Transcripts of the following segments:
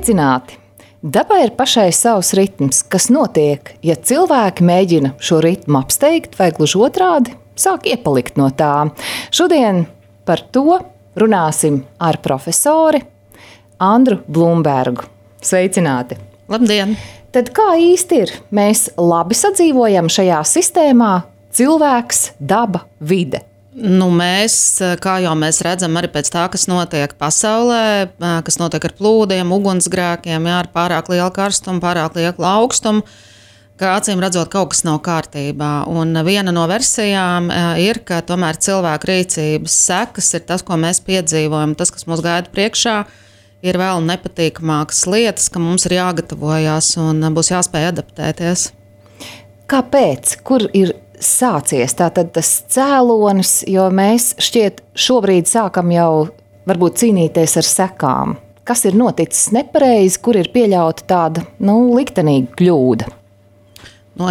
Sveicināti! Dabai ir pašai savs ritms, kas notiek, ja cilvēki mēģina šo ritmu apsteigt vai gluži otrādi sāk iepalikt no tā. Šodien par to runāsim ar profesori Andru Blumbergu. Sveicināti! Labdien! Tad kā īsti ir? Mēs labi sadzīvojam šajā sistēmā cilvēks, daba, vide. Mēs, kā jau mēs redzam, arī pēc tā, kas notiek pasaulē, kas notiek ar plūdiem, ugunsgrēkiem, ar pārāk lielu karstumu, pārāk lielu augstumu, ka acīm redzot, kaut kas nav kārtībā. Un viena no versijām ir, ka tomēr cilvēku rīcības sekas ir tas, ko mēs piedzīvojam, tas, kas mūs gaida priekšā, ir vēl nepatīkamākas lietas, ka mums ir jāgatavojās un būs jāspēj adaptēties. Kāpēc? Kur ir sācies tātad tas cēlonis, jo mēs šķiet šobrīd sākam jau varbūt cīnīties ar sekām. Kas ir noticis nepareizi, kur ir pieļauta tāda, liktenīga kļūda?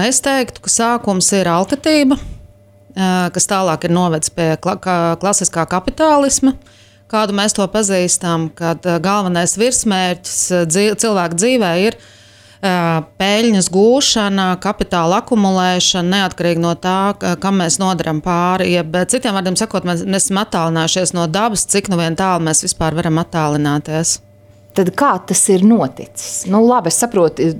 Es teiktu, ka sākums ir alkatība, kas tālāk ir novedis pie klasiskā kapitālisma, kādu mēs to pazīstam, kad galvenais virsmērķis cilvēku dzīvē ir peļņas gūšana, kapitāla akumulēšana, neatkarīgi no tā, kam mēs nodaram pāri. Citiem vārdiem sakot, mēs esam attālinājušies no dabas, cik nu vien tālu mēs vispār varam attālināties. Tad kā tas ir noticis? Labi, es saprotu,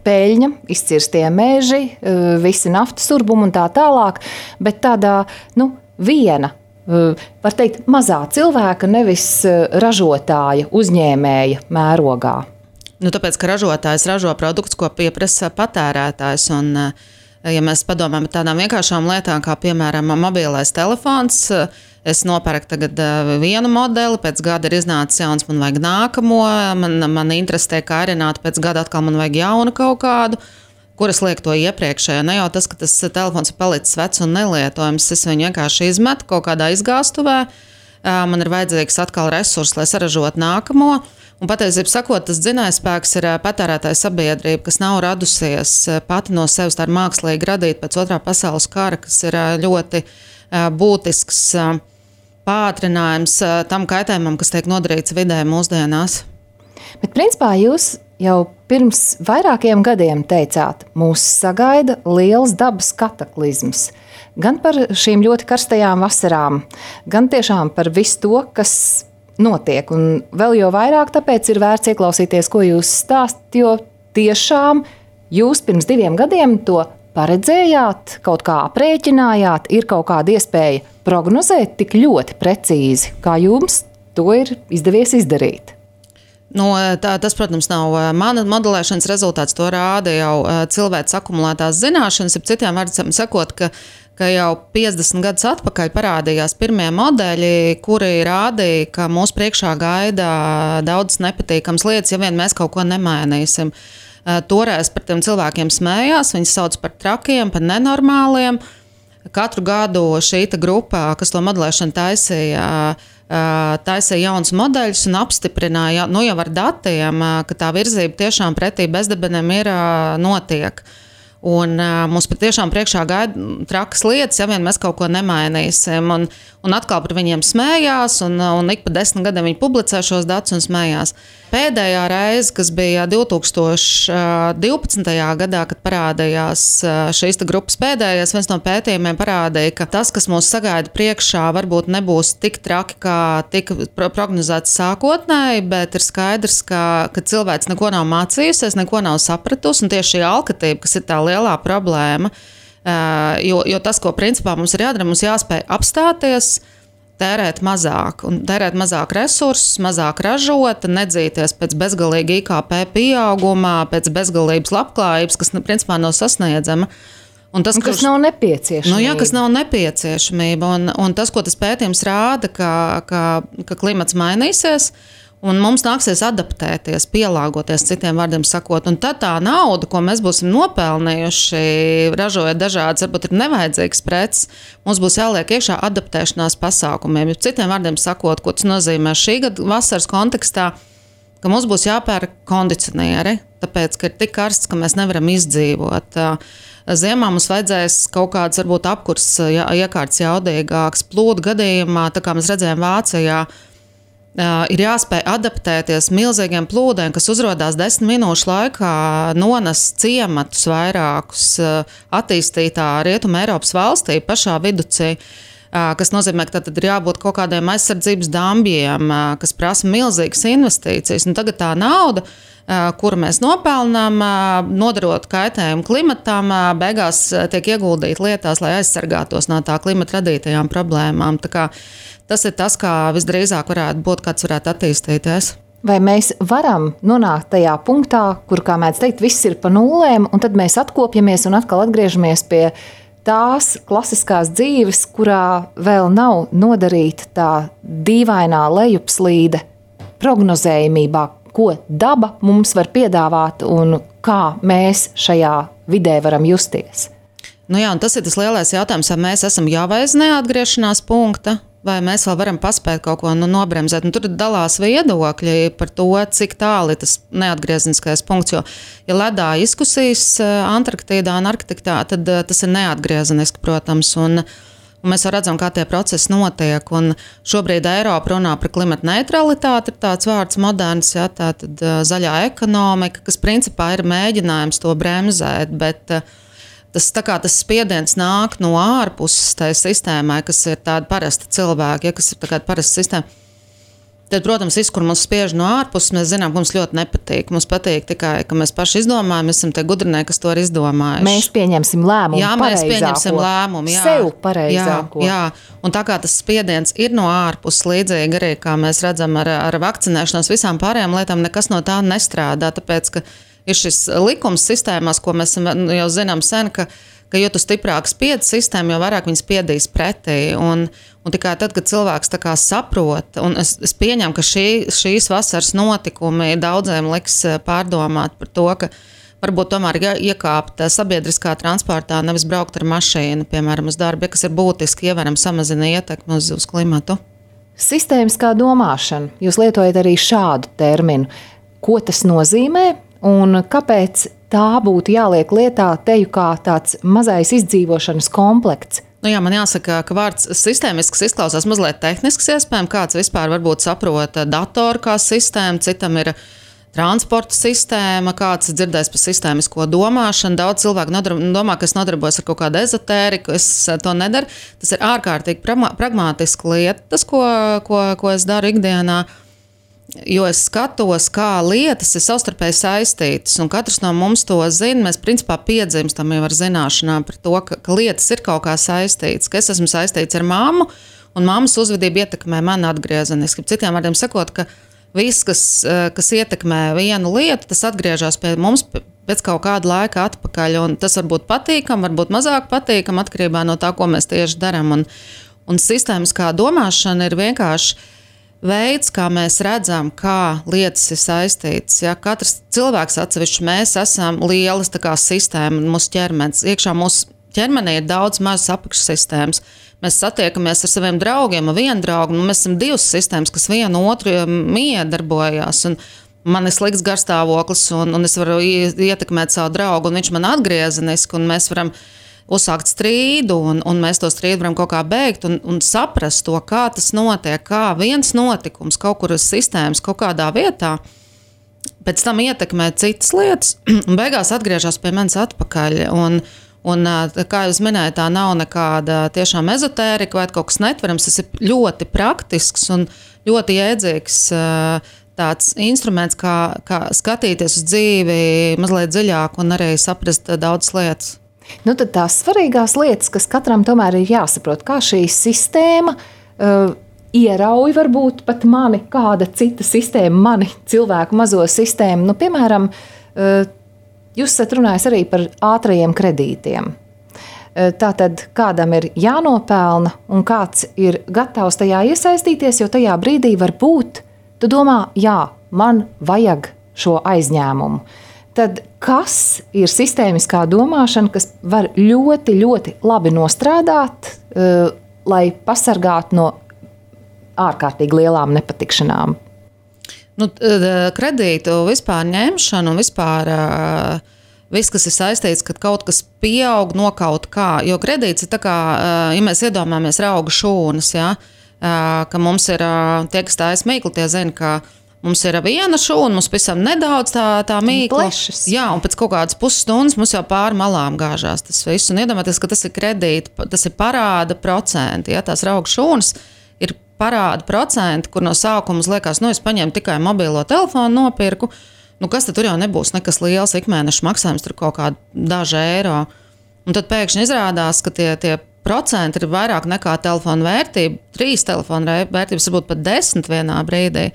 peļņa, izcirstie meži, visi naftas urbumi un tā tālāk, bet tādā, viena, var teikt, mazā cilvēka, nevis ražotāja, uzņēmēja mērogā. Tāpēc, ka ražotājs ražo produktus, ko pieprasa patērētājs. Un, ja mēs padomājam par tādām vienkāršām lietām, kā piemēram mobilais telefons, es nopērku tagad vienu modeli, pēc gada ir iznācis jauns, man vajag nākamo, man interesē kārināt, pēc gada atkal man vajag jaunu kaut kādu, kuras liek to iepriekšējo. Ne jau tas, ka tas telefons ir palicis vecs un nelietojams, es viņu vienkārši izmetu kaut kādā izgāstuvē, man ir vajadzīgs atkal resursi, lai saražotu nākamo. Un patiesībā sakot, tas dzinējspēks ir patērētāja sabiedrība, kas nav radusies pati no sevis, tā ir mākslīgi radīta pēc Otrā pasaules kara, kas ir ļoti būtisks pātrinājums tam kaitējumam, kas tiek nodarīts vidē mūsdienās. Bet principā jūs jau pirms vairākiem gadiem teicāt, mūs sagaida liels dabas kataklizms. Gan par šīm ļoti karstajām vasarām, gan tiešām par visu to, kas notiek. Un vēl jau vairāk tāpēc ir vērts ieklausīties, ko jūs stāstat, jo tiešām jūs pirms 2 gadiem to paredzējāt, kaut kā aprēķinājāt, ir kaut kāda iespēja prognozēt tik ļoti precīzi, kā jums to ir izdevies izdarīt. Tas, protams, nav mana modelēšanas rezultāts, to rāda jau cilvēks akumulētās zināšanas, ap citiem vārdiem sakot, ka jau 50 gadus atpakaļ parādījās pirmie modeļi, kuri rādīja, ka mūsu priekšā gaida daudz nepatīkams lietas, ja vien mēs kaut ko nemainīsim. Toreiz par tiem cilvēkiem smējās, viņus sauc par trakiem, par nenormāliem. Katru gadu šī grupa, kas to modelēšanu taisīja jauns modeļus un apstiprināja jau ar datiem, ka tā virzība tiešām pretī bezdibeniem ir notiek. Un mums patiešām priekšā gaida trakas lietas, ja vien mēs kaut ko nemainīsim. Un atkal par viņiem smējās, un ik pa 10 gadiem viņi publicē šos datus un smējās. Pēdējā reize, kas bija 2012. gadā, kad parādījās šīs grupas pēdējais, viens no pētījumiem parādīja, ka tas, kas mūs sagaida priekšā, varbūt nebūs tik traki, kā tika prognozēts sākotnēji, bet ir skaidrs, ka cilvēks neko nav mācījusies, neko nav sapratusi, un tieši šī alkatība, kas ir tā lielā problēma, jo tas, ko principā mums ir jādara, mums jāspēj apstāties, tērēt mazāk resursus, mazāk ražot, nedzīties pēc bezgalīga IKP pieauguma, pēc bezgalības labklājības, kas principā nav sasniedzama. Kas nav nepieciešamība. Kas nav nepieciešamība. Un tas, ko tas pētījums rāda, ka klimats mainīsies, un mums nāksies adaptēties, pielāgoties, citiem vārdiem sakot. Un tad tā nauda, ko mēs būsim nopelnījuši, ražojot dažādas, varbūt ir nevajadzīgas preces, mums būs jāliek iekšā adaptēšanās pasākumiem. Citiem vārdiem sakot, ko tas nozīmē šī gada vasaras kontekstā, ka mums būs jāpērk kondicionieri, tāpēc, ka ir tik karsts, ka mēs nevaram izdzīvot. Ziemā mums vajadzēs kaut kāds varbūt apkurs iekārts jaudīgāks. Plūdu gadījumā, tā kā mēs redzējām Vācijā, ir jāspēj adaptēties milzīgiem plūdiem, kas uzrodās 10 minūšu laikā, nones ciematus vairākus attīstītā Rietuma Eiropas valstī pašā viducī. Kas nozīmē, ka tad ir jābūt kaut kādiem aizsardzības dambjiem, kas prasa milzīgas investīcijas. Un tagad tā nauda, kuru mēs nopelnām, nodarot kaitējumu klimatam, beigās tiek ieguldīta lietās, lai aizsargātos no tā klimata radītajām problēmām. Tā kā tas ir tas, kā visdrīzāk varētu būt, kāds varētu attīstīties. Vai mēs varam nonākt tajā punktā, kur, kā mēdz teikt, viss ir pa nulēm, un tad mēs atkopjamies un atkal atgriežamies pie tās klasiskās dzīves, kurā vēl nav nodarīta tā dīvainā lejupslīde prognozējumībā, ko daba mums var piedāvāt un kā mēs šajā vidē varam justies. Nu jā, un tas ir tas lielais jautājums, vai mēs esam jau aiz neatgriešanās punkta, vai mēs vēl varam paspēt kaut ko nobremzēt. Un tur dalās viedokļi par to, cik tālu ir tas neatgriezeniskais punkts. Jo, ja ledā izkusīs Antarktīdā un Arktiktā, tad tas ir neatgriezeniski, protams. Un mēs jau redzam, kā tie procesi notiek. Un šobrīd Eiropa runā par klimata neutralitāti, ir tāds vārds moderns, ja, tātad zaļā ekonomika, kas principā ir mēģinājums to bremzēt, bet tas spiediens nāk no ārpuses tai sistēmai, kas ir tāda parasta cilvēki, ja, kas ir tāda parasta sistēma. Tad, protams, viss, kur mums spiež no ārpuses, mēs zinām, ka mums ļoti nepatīk. Mums patīk tikai, ka mēs paši izdomājam, mēs esam tie gudrinieki, kas to ir izdomājuši. Mēs pieņemsim lēmumu jā, mēs pieņemsim lēmumu. Jā, sev pareizāko. Jā. Un tā kā tas spiediens ir no ārpuses, līdzīgi arī, kā mēs redzam ar vakcinēšanos, visām pārējām lietām, nekas no tā nestrādā, tāpēc, ka ir šis likums sistēmās, ko mēs jau zinām sen, ka jo tu stiprāk spiedz sistēmu, jo vairāk viņi spiedīs pretī. Un tikai tad, kad cilvēks tā kā saprot, un es pieņemu, ka šīs vasaras notikumi daudziem liks pārdomāt par to, ka varbūt tomēr iekāpt sabiedriskā transportā, nevis braukt ar mašīnu, piemēram, uz darbu, kas ir būtiski, ievaram samazina ietekmi uz klimatu. Sistēmiskā domāšana. Jūs lietojat arī šādu terminu. Ko tas nozīmē? Un kāpēc tā būtu jāliek lietā teju kā tāds mazais izdzīvošanas komplekts? Nu jā, man jāsaka, ka vārds sistēmisks izklausās mazliet tehnisks iespējams. Kāds vispār varbūt saprot datoru kā sistēmu, citam ir transporta sistēma, kāds dzirdēs par sistēmisko domāšanu. Daudz cilvēku domā, ka es nodarbojos ar kaut kādu ezotēriku, es to nedaru. Tas ir ārkārtīgi pragmātiska lieta, tas, ko es daru ikdienā. Jo es skatos, kā lietas ir savstarpēji saistītas, un katrs no mums to zina. Mēs principā piedzimstam jau ar zināšanām par to, ka lietas ir kaut kā saistītas, ka es esmu saistīts ar mammu, un mammas uzvedība ietekmē mani atgriezeniski. Citiem vārdiem sakot, ka viss, kas ietekmē vienu lietu, tas atgriežas pie mums pēc kaut kāda laika atpakaļ, un tas var būt patīkam, varbūt mazāk patīkam, atkarībā no tā, ko mēs tieši darām. Un sistēmiskā domāšana ir vienkārši veids, kā mēs redzam, kā lietas ir saistītas. Ja? Katrs cilvēks atsevišķi, mēs esam lielas tā kā sistēma, mūsu ķermenis. Iekšā mūsu ķermenī ir daudz mazas apakšsistēmas. Mēs satiekamies ar saviem draugiem, ar vienu draugu, un mēs esam divas sistēmas, kas vienu otru miedarbojās. Un man ir slikts garstāvoklis, un es varu ietekmēt savu draugu, un viņš man atgriezeniski, un mēs varam uzsākt strīdu, un mēs to strīdu varam kaut kā beigt un saprast to, kā tas notiek, kā viens notikums kaut kur uz sistēmas kaut kādā vietā, pēc tam ietekmē citas lietas, un beigās atgriežas pie manis atpakaļ. Un kā jūs minējāt, tā nav nekāda tiešām ezotērika vai kaut kas netverams, tas ir ļoti praktisks un ļoti jēdzīgs tāds instruments, kā skatīties uz dzīvi mazliet dziļāk un arī saprast daudzas lietas. Nu, tad tās svarīgās lietas, kas katram tomēr ir jāsaprot, kā šī sistēma ierauj varbūt pat mani, kāda cita sistēma, mani cilvēku mazo sistēmu. Nu, piemēram, jūs esat runājis arī par ātrajiem kredītiem. Tātad kādam ir jānopelna un kāds ir gatavs tajā iesaistīties, jo tajā brīdī varbūt tu domā, jā, man vajag šo aizņēmumu. Tad kas ir sistēmiskā domāšana, kas var ļoti, ļoti labi nostrādāt, lai pasargātu no ārkārtīgi lielām nepatikšanām? Nu, kredītu vispār ņemšanu un vispār viss, kas ir saistīts, kad kaut kas pieaug no kaut kā. Jo kredīts ir tā kā, ja mēs iedomājamies rauga šūnas, ja? ka mums ir tie, kas tā smīkli, tie zina, ka mums ir viena šūna, mums pavisam nedaudz tā mīkla. Jā, un pēc kaut kādas pusstundas mums jau pāri malām gāžās tas viss. Un iedomājieties, ka tas ir kredīti, tas ir parāda procenti. Ja, tās raugu šūnas ir parāda procenti, kur no sākuma liekas, es paņēmu tikai mobilo telefonu nopirku. Kas tad tur jau nebūs nekas liels ikmēneša maksājums, tur kaut kādi daži eiro. Un tad pēkšņi izrādās, ka tie procenti ir vairāk nekā telefona vērtība, 3 telefona vērtības, varbūt pat 10 vienā brīdī.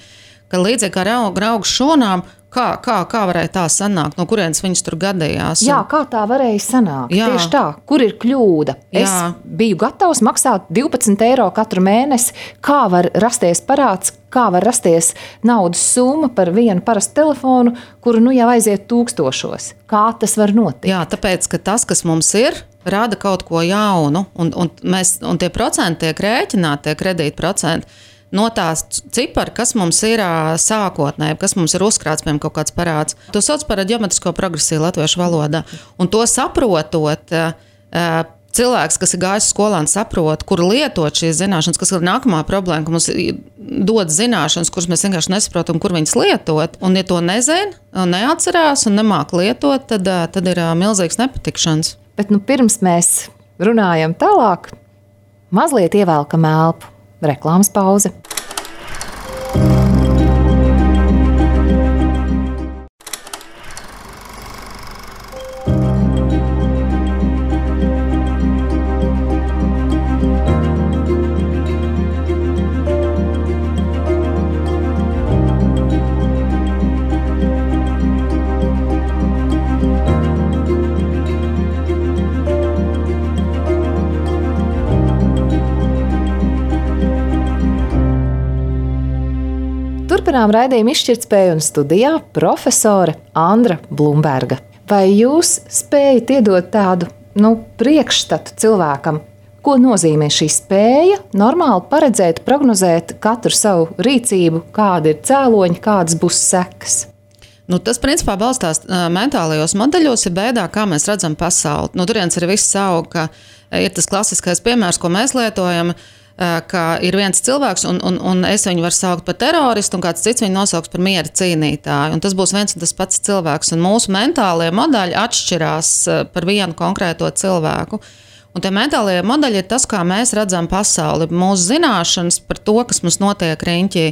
Ka līdzīgi kā raugu šūnām, kā varēja tā sanākt, no kurienes viņas tur gadījās? Jā, kā tā varēja sanākt? Jā. Tieši tā, kur ir kļūda? Jā. Es biju gatavs maksāt 12 eiro katru mēnesi. Kā var rasties parāds, kā var rasties naudas summa par vienu parastu telefonu, kuru jau aiziet tūkstošos? Kā tas var notikt? Jā, tāpēc, ka tas, kas mums ir, rada kaut ko jaunu, un tie procenti tiek rēķināti, tie kredītprocenti, no tās cipari, kas mums ir sākotnēji, kas mums ir uzkrāts, piemēram, kaut kāds parāds. To sauc par ģeometrisko progresiju latviešu valodā. Un to saprotot, cilvēks, kas ir gājis skolā un saprot, kur lietot šīs zināšanas, kas ir nākamā problēma, ka mums dod zināšanas, kuras mēs vienkārši nesaprotam, kur viņas lietot. Un ja to nezina, neatcerās un nemāk lietot, tad ir milzīgs nepatikšanas. Bet pirms mēs runājam tālāk, mazliet ievelkam elpu. Reklāmas pauze. Turpinām raidījumu Izšķirtspēju un studijā profesore Andra Blumberga. Vai jūs spējat iedot tādu priekšstatu cilvēkam, ko nozīmē šī spēja normāli paredzēt, prognozēt katru savu rīcību, kādi ir cēloņi, kādas būs sekas? Tas principā balstās mentālajos modeļos, ir beidā, kā mēs redzam pasauli. Turienes ir viss auga, ka ir tas klasiskais piemērs, ko mēs lietojam, ka ir viens cilvēks, un es viņu varu saukt par teroristu, un kāds cits viņu nosauks par miera cīnītāju. Un tas būs viens un tas pats cilvēks. Un mūsu mentālie modeļi atšķirās par vienu konkrēto cilvēku. Un tie mentālie modeļi ir tas, kā mēs redzam pasauli, mūsu zināšanas par to, kas mums notiek riņķī.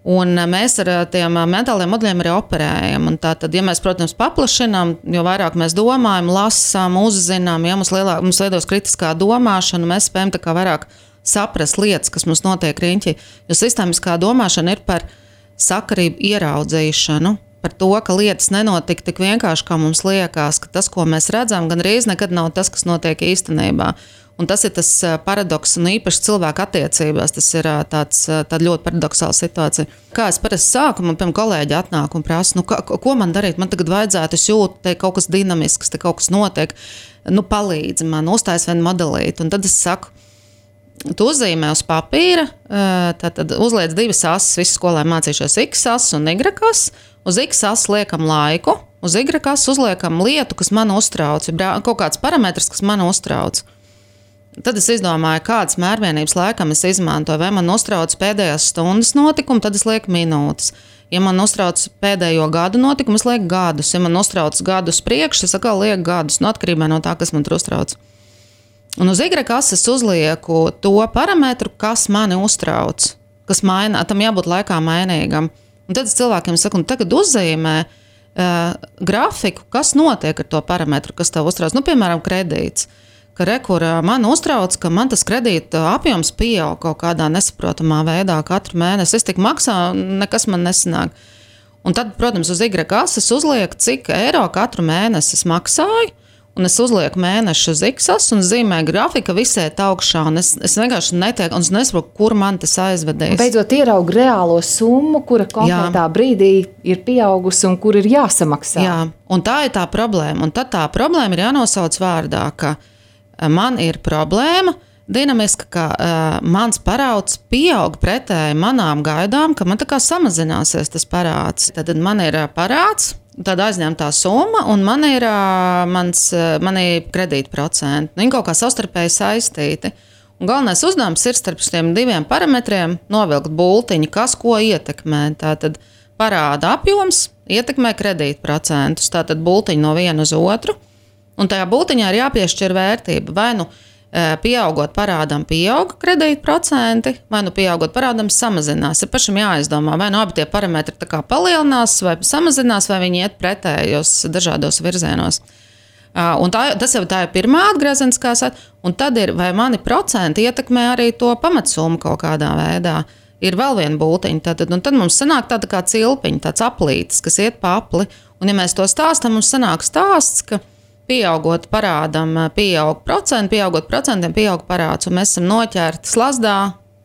Un mēs ar tiem mentāliem modeļiem arī operējam. Un tātad, ja mēs, protams, paplašinām, jo vairāk mēs domājam, lasām, uzzinām, ja mums veidos kritiskā domāšana, mēs spējam tā kā vairāk saprast lietas, kas mums notiek riņķī. Jo sistēmiskā domāšana ir par sakarību ieraudzīšanu, par to, ka lietas nenotika tik vienkārši, kā mums liekas, ka tas, ko mēs redzam, gan reiz nekad nav tas, kas notiek īstenībā. Un tas ir tas paradoks, un īpaši cilvēku attiecībās, tas ir tāda ļoti paradoxāla situācija. Kā es parasti sāku, man kolēģi atnāk un prasa, ko man darīt? Man tagad vajadzētu, es jūtu, te kaut kas dinamisks, te kaut kas notiek, palīdzi man, uztais vienu modelīti. Un tad es saku, tu uzzīmē uz papīra, tad uzliec 2 asis, visi skolē mācījušies X asis un Y asis. Uz X asis liekam laiku, uz Y asis uzliekam lietu, kas man uztrauc, kaut kāds parametrs, kas man uztrauc. Tad es izdomāju, kādas mērvienības laikam es izmantoju. Vai man uztrauc pēdējās stundas notikumu, tad es lieku minūtes. Ja man uztrauc pēdējo gadu notikumu, es lieku gadus. Ja man uztrauc gadus priekš, es atkal lieku gadus, atkarībā no tā, kas man tur uztrauc. Un uz Y asis uzlieku to parametru, kas mani uztrauc, kas maina, tam jābūt laikā mainīgam. Un tad es cilvēkiem saku, tagad uzzīmē grafiku, kas notiek ar to parametru, kas tev uztrauc. Piemēram, kredīts. Ka man uztrauc, ka man tas kredīta apjoms pieaug kaut kādā nesaprotamā veidā katru mēnesi. Es tik maksāju, nekas man nesanāk. Un tad, protams, uz Y asis uzlieku, cik eiro katru mēnesi es maksāju, un es uzlieku mēnešu uz X asis un zīmēju grafika visēt augšā, un es vienkārši netieku, un es nesaprotu, kur man tas aizvedīs. Beidzot ieraugu reālo summu, kura konkrētā brīdī ir pieaugusi un kur ir jāsamaksā. Jā, un tā ir tā problēma. Un tad tā problēma ir jānosauc vārdā, ka man ir problēma dinamiska, ka mans parāds pieaug pretēji manām gaidām, ka man tā kā samazināsies tas parāds. Tad man ir parāds, tad aizņemtā summa, un man ir kredītprocenti. Viņi kaut kā savstarpēji saistīti. Un galvenais uzdevums ir starp šiem diviem parametriem novilkt bultiņu, kas ko ietekmē. Tātad parāda apjoms ietekmē kredītprocentus. Tātad bultiņu no viena uz otru. Un tajā bultiņā ir jāpiešķir vērtība. Vai nu pieaugot parādam pieauga kredītprocenti, vai nu pieaugot parādam samazinās. Ir pašam jāizdomā, vai nu abi tie parametri tā kā palielinās, vai samazinās, vai viņi iet pretējos dažādos virzienos. Un tas jau tā ir pirmā atgriezeniskā saite, un tad ir, vai mani procenti ietekmē arī to pamatsummu kaut kādā veidā. Ir vēl viena bultiņa, un tad mums sanāk tāda kā cilpiņa, tāds aplītis, kas iet pa apli, un ja mēs to stāstam, mums sanāk stāsts, ka pieaugot parādam, pieaug procentiem, pieaug parāds, un mēs esam noķerti slazdā,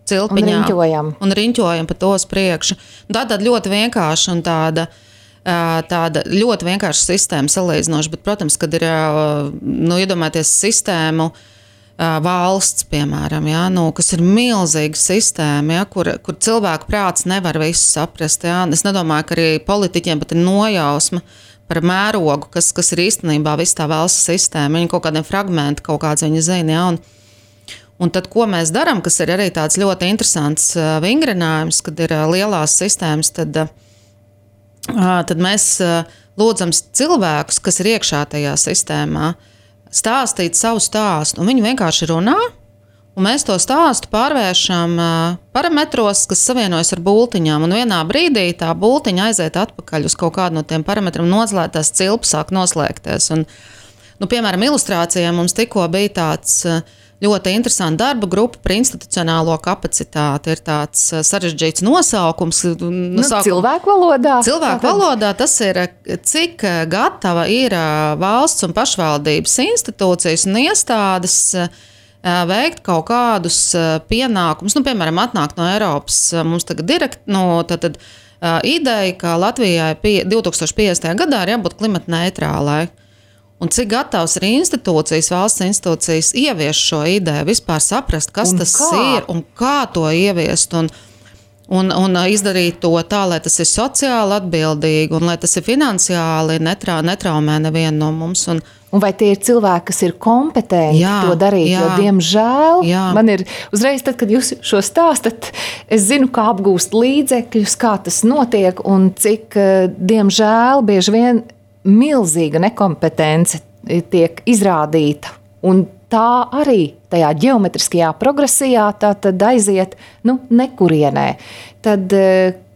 cilpiņā un riņķojam pa to uz priekšu. Tāda ļoti vienkārša un tāda ļoti vienkārša sistēma salīdzinoši, bet, protams, kad ir, iedomājieties sistēmu valsts, piemēram, kas ir milzīga sistēma, kur cilvēku prāts nevar visu saprast. Es nedomāju, ka arī politiķiem pat ir nojausma par mērogu, kas ir īstenībā viss tā valsts sistēma. Viņi kaut kādiem fragmenti, kaut kāds viņi zina. Un tad, ko mēs darām, kas ir arī tāds ļoti interesants vingrinājums, kad ir lielās sistēmas, tad mēs lūdzam cilvēkus, kas ir iekšā tajā sistēmā, stāstīt savu stāstu. Un viņi vienkārši runā, un mēs to stāstu pārvēršam parametros, kas savienojas ar bultiņām. Un vienā brīdī tā bultiņa aiziet atpakaļ uz kaut kādu no tiem parametriem, noslēgtās cilpas sāk noslēgties. Un, piemēram, ilustrācijā mums tikko bija tāds ļoti interesanta darba grupa par institucionālo kapacitāti. Ir tāds sarežģīts nosaukums. Cilvēku valodā? Cilvēku valodā tas ir, cik gatava ir valsts un pašvaldības institūcijas un iestādes veikt kaut kādus pienākumus. Piemēram, atnāk no Eiropas mums tagad ideja, ka Latvijai 2050. gadā ir jābūt klimata neitrālai. Un cik gatavs ir institūcijas, valsts institūcijas ieviest šo ideju, vispār saprast, kas tas ir un kā to ieviest un izdarīt to tā, lai tas ir sociāli atbildīgi un lai tas ir finansiāli netraumē nevienu no mums. Un vai tie ir cilvēki, kas ir kompetenti to darīt? Jo, diemžēl, man ir uzreiz, tad, kad jūs šo stāstat, es zinu, kā apgūst līdzekļus, kā tas notiek un cik, diemžēl, bieži vien milzīga nekompetence tiek izrādīta. Un tā arī tajā ģeometriskajā progresijā tā tad aiziet nekurienē. Tad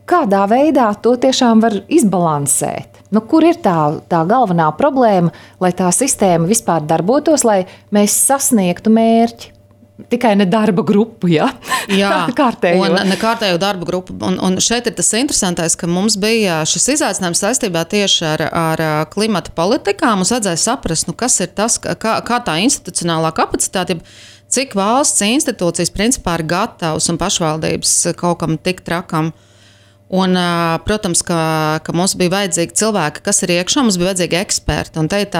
kādā veidā to tiešām var izbalansēt? Kur ir tā galvenā problēma, lai tā sistēma vispār darbotos, lai mēs sasniegtu mērķi? Tikai ne darba grupu, kārtējo. Un ne kārtējo darba grupu. Un šeit ir tas interesantais, ka mums bija šis izaicinājums saistībā tieši ar klimata politikām. Mums vajadzēja saprast, kas ir tas, kā tā institucionālā kapacitāte, cik valsts institūcijas principā ir gatavas un pašvaldības kaut kam tik trakam. Un, protams, ka mums bija vajadzīgi cilvēki, kas ir iekšā, mums bija vajadzīgi eksperti. Un te ir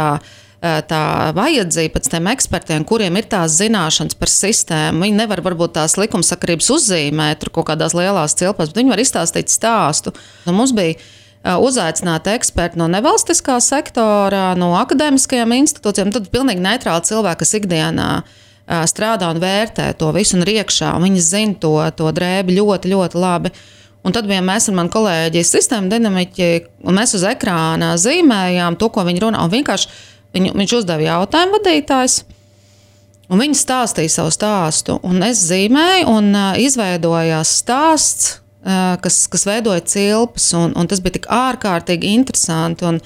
tā vajadzība pēc tiem ekspertiem, kuriem ir tās zināšanas par sistēmu. Viņi nevar varbūt tās likumsakarības uzzīmēt tur kaut kādās lielās cilpās, bet viņi var izstāstīt stāstu. Un mums bija uzaicināti eksperti no nevalstiskā sektora, no akadēmiskajām institūcijām, tad pilnīgi neitrāli cilvēki, kas ikdienā strādā un vērtē to visu un ir iekšā. Viņi zina to drēbi ļoti, ļoti labi. Un tad bijām mēs ar mani kolēģi sistēmu dinamiķi, un mēs uz ekrāna zīmējām to, ko viņi runā. Un vienkārši viņš uzdeva jautājumu vadītājs, un viņi stāstīja savu stāstu. Un es zīmēju, un izveidojās stāsts, kas veidoja cilpas, un tas bija tik ārkārtīgi interesanti.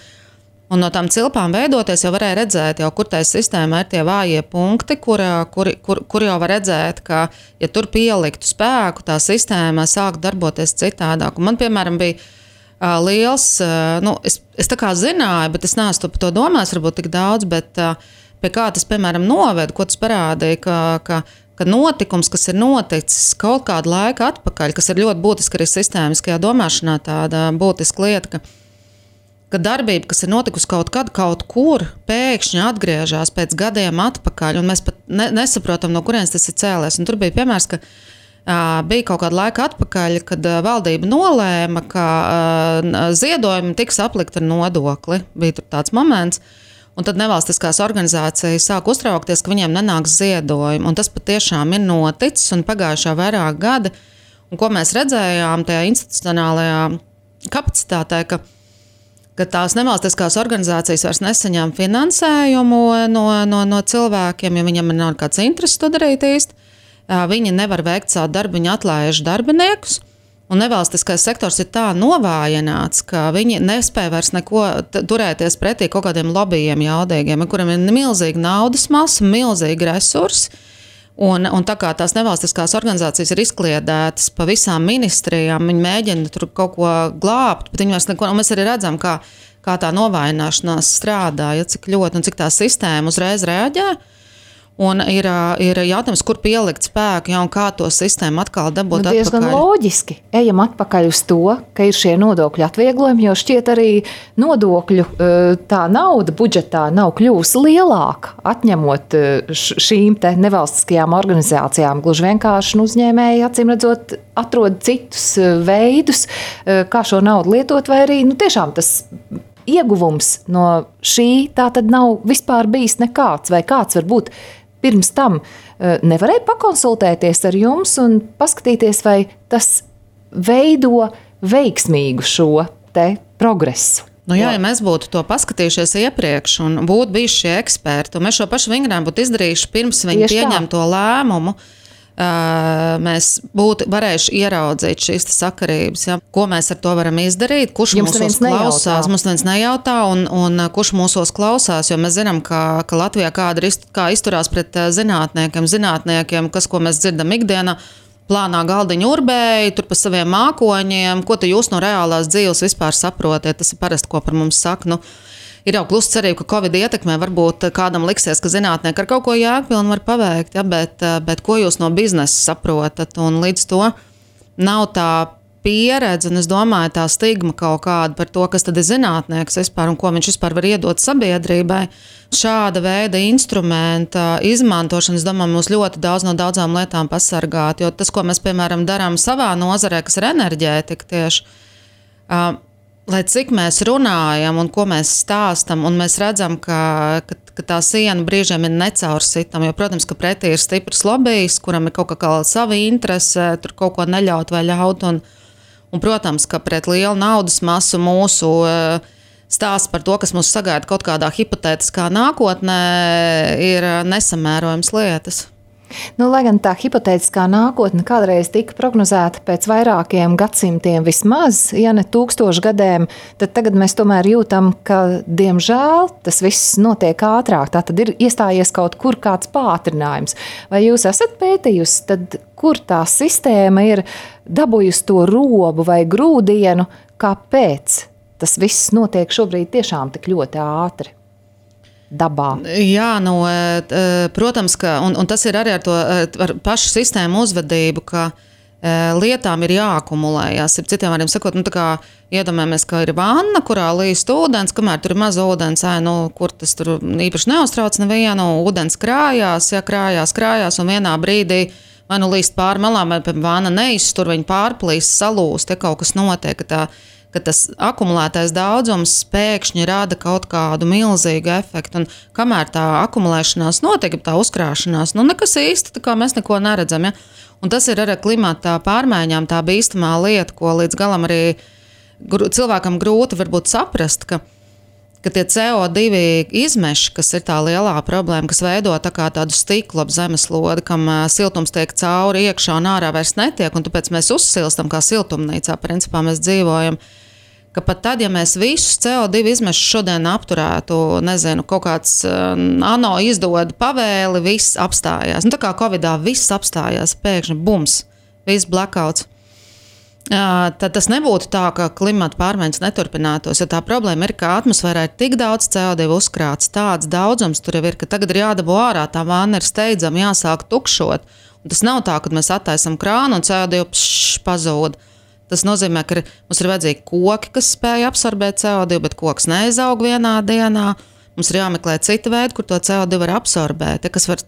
Un no tām cilpām veidoties jau varēja redzēt, kur tai sistēmā ir tie vājie punkti, kur jau var redzēt, ka, ja tur pieliktu spēku, tā sistēma sāk darboties citādāk. Un man, piemēram, bija liels, es tā kā zināju, bet es neesmu par to domājis varbūt tik daudz, bet pie kā tas, piemēram, noved, ko tas parādīja, ka notikums, kas ir noticis kaut kādu laiku atpakaļ, kas ir ļoti būtiski arī sistēmiskajā domāšanā, tāda būtiska lieta, ka darbība, kas ir notikusi kaut kad, kaut kur, pēkšņi atgriežas pēc gadiem atpakaļ, un mēs pat nesaprotam, no kurienes tas ir cēlies. Un tur bija piemērs, ka bija kaut kāda laika atpakaļ, kad valdība nolēma, ka ziedojumi tiks aplikti ar nodokli. Bija tur tāds moments. Un tad nevalstiskās organizācijas sāk uztraukties, ka viņiem nenāks ziedojumi. Un tas patiešām ir noticis un pagājušā vairāk gadi. Un ko mēs redzējām tajā institucionālajā kapacitātē, ka tās nevalstiskās organizācijas vairs nesaņem finansējumu no cilvēkiem, ja viņam nav kāds intereses to darīt īsti. Viņi nevar veikt savu darbu, viņi atlaiž darbiniekus. Un nevalstiskais sektors ir tā novājināts, ka viņi nespēja vairs neko turēties pretī kaut kādiem lobbyiem jaudīgiem, kuriem ir milzīga naudas masa, milzīgi resursi. Un tā kā tās nevalstiskās organizācijas ir izkliedētas pa visām ministrijām, viņi mēģina tur kaut ko glābt, bet viņi vairs neko, un mēs arī redzam, kā tā novājināšanās strādā, ja cik ļoti un cik tā sistēma uzreiz reaģē. Un ir jautājums, kur pielikt spēku, ja, un kā to sistēmu atkal dabūt atpakaļ. Diezgan loģiski. Ejam atpakaļ uz to, ka ir šie nodokļu atvieglojumi, jo šķiet arī nodokļu tā nauda budžetā nav kļūsi lielāka, atņemot šīm te nevalstiskajām organizācijām. Gluži vienkārši uzņēmēji, acīm redzot, atrod citus veidus, kā šo naudu lietot, vai arī tiešām tas ieguvums no šī tā tad nav vispār bijis nekāds, vai kāds var būt pirms tam nevarēja pakonsultēties ar jums un paskatīties, vai tas veido veiksmīgu šo te progresu. Ja mēs būtu to paskatījušies iepriekš un būtu bijuši šie eksperti, un mēs šo pašu vingrinām būtu izdarījuši pirms viņi pieņem to lēmumu, mēs būtu varējuši ieraudzīt šīs sakarības. Ja? Ko mēs ar to varam izdarīt? Kurš mūsos klausās? Mums neviens nejautā, un kurš mūsos klausās? Jo mēs zinām, ka Latvijā kā izturās pret zinātniekiem, ko mēs dzirdam ikdienā, plānā galdiņu urbēji, tur pa saviem mākoņiem, ko tu jūs no reālās dzīves vispār saprotiet? Tas ir parasti, ko par mums saka. Ir jau klusa cerība, ka Covid ietekmē varbūt kādam liksies, ka zinātnieki ar kaut ko jēgpilnu var paveikt, ja, bet ko jūs no biznesa saprotat? Un līdz to nav tā pieredze, un es domāju, tā stigma kaut kāda par to, kas tad ir zinātnieks vispār un ko viņš vispār var iedot sabiedrībai. Šāda veida instrumenta izmantošana, es domāju, mūs ļoti daudz no daudzām lietām pasargāt, jo tas, ko mēs, piemēram, darām savā nozarē, kas ir enerģētika tieši, lai cik mēs runājam un ko mēs stāstam, un mēs redzam, ka tā siena brīžiem ir necaursitama, jo, protams, ka pretī ir stiprs lobijs, kuram ir kaut kā sava interese, tur kaut ko neļaut vai ļaut, un protams, ka pret lielu naudas masu mūsu stāsts par to, kas mūs sagaida kaut kādā hipotētiskā nākotnē, ir nesamērojams lietas. Lai gan tā hipotētiskā nākotne kādreiz tika prognozēta pēc vairākiem gadsimtiem vismaz, ja ne 1000 gadiem, tad tagad mēs tomēr jūtam, ka, diemžēl, tas viss notiek ātrāk. Tā tad ir iestājies kaut kur kāds pātrinājums. Vai jūs esat pētījusi, tad kur tā sistēma ir dabūjusi to robu vai grūdienu, kāpēc tas viss notiek šobrīd tiešām tik ļoti ātri? Dabā. Jā, protams, ka, un tas ir arī ar pašu sistēmu uzvedību, ka lietām ir jāakumulējas. Citiem vārdiem sakot, tā kā iedomājamies, ka ir vanna, kurā līst ūdens, kamēr tur ir maz ūdens, kur tas tur īpaši neuztrauc nevienu, ūdens krājās, un vienā brīdī vai līst pāri malām, vai vanna neiztur, viņa pārplīst, salūst, ja kaut kas notiek, ka tas akumulētais daudzums pēkšņi rada kaut kādu milzīgu efektu. Un kamēr tā akumulēšanās notiek, tā uzkrāšanās, nekas īsti, tā kā mēs neko neredzam. Ja? Un tas ir arī klimata pārmaiņām tā bīstamā lieta, ko līdz galam arī cilvēkam grūti varbūt saprast, ka tie CO2 izmeši, kas ir tā lielā problēma, kas veido tādu stiklu ap zemeslodi, kam siltums tiek cauri iekšā un ārā vairs netiek, un tāpēc mēs uzsilstam kā siltumnīcā, principā mēs dzīvojam, ka pat tad, ja mēs visus CO2 izmešus šodien apturētu, kaut kāds ANO izdod pavēli, viss apstājās. Tā kā Covidā viss apstājās, pēkšņi bums, viss blackouts. Tad tas nebūtu tā, ka klimata pārmaiņas neturpinātos, jo tā problēma ir, ka atmosfērā ir tik daudz CO2 uzkrāts, tāds daudzums tur jau ir, ka tagad ir jādabū ārā, tā vāna ir steidzama, jāsāk tukšot. Un tas nav tā, ka mēs attaisam krānu un CO2 pazūd. Tas nozīmē, ka mums ir vajadzīgi koki, kas spēj absorbēt CO2, bet koks neizaug vienā dienā. Mums ir jāmeklē cita veida, kur to CO2 var absorbēt, kas var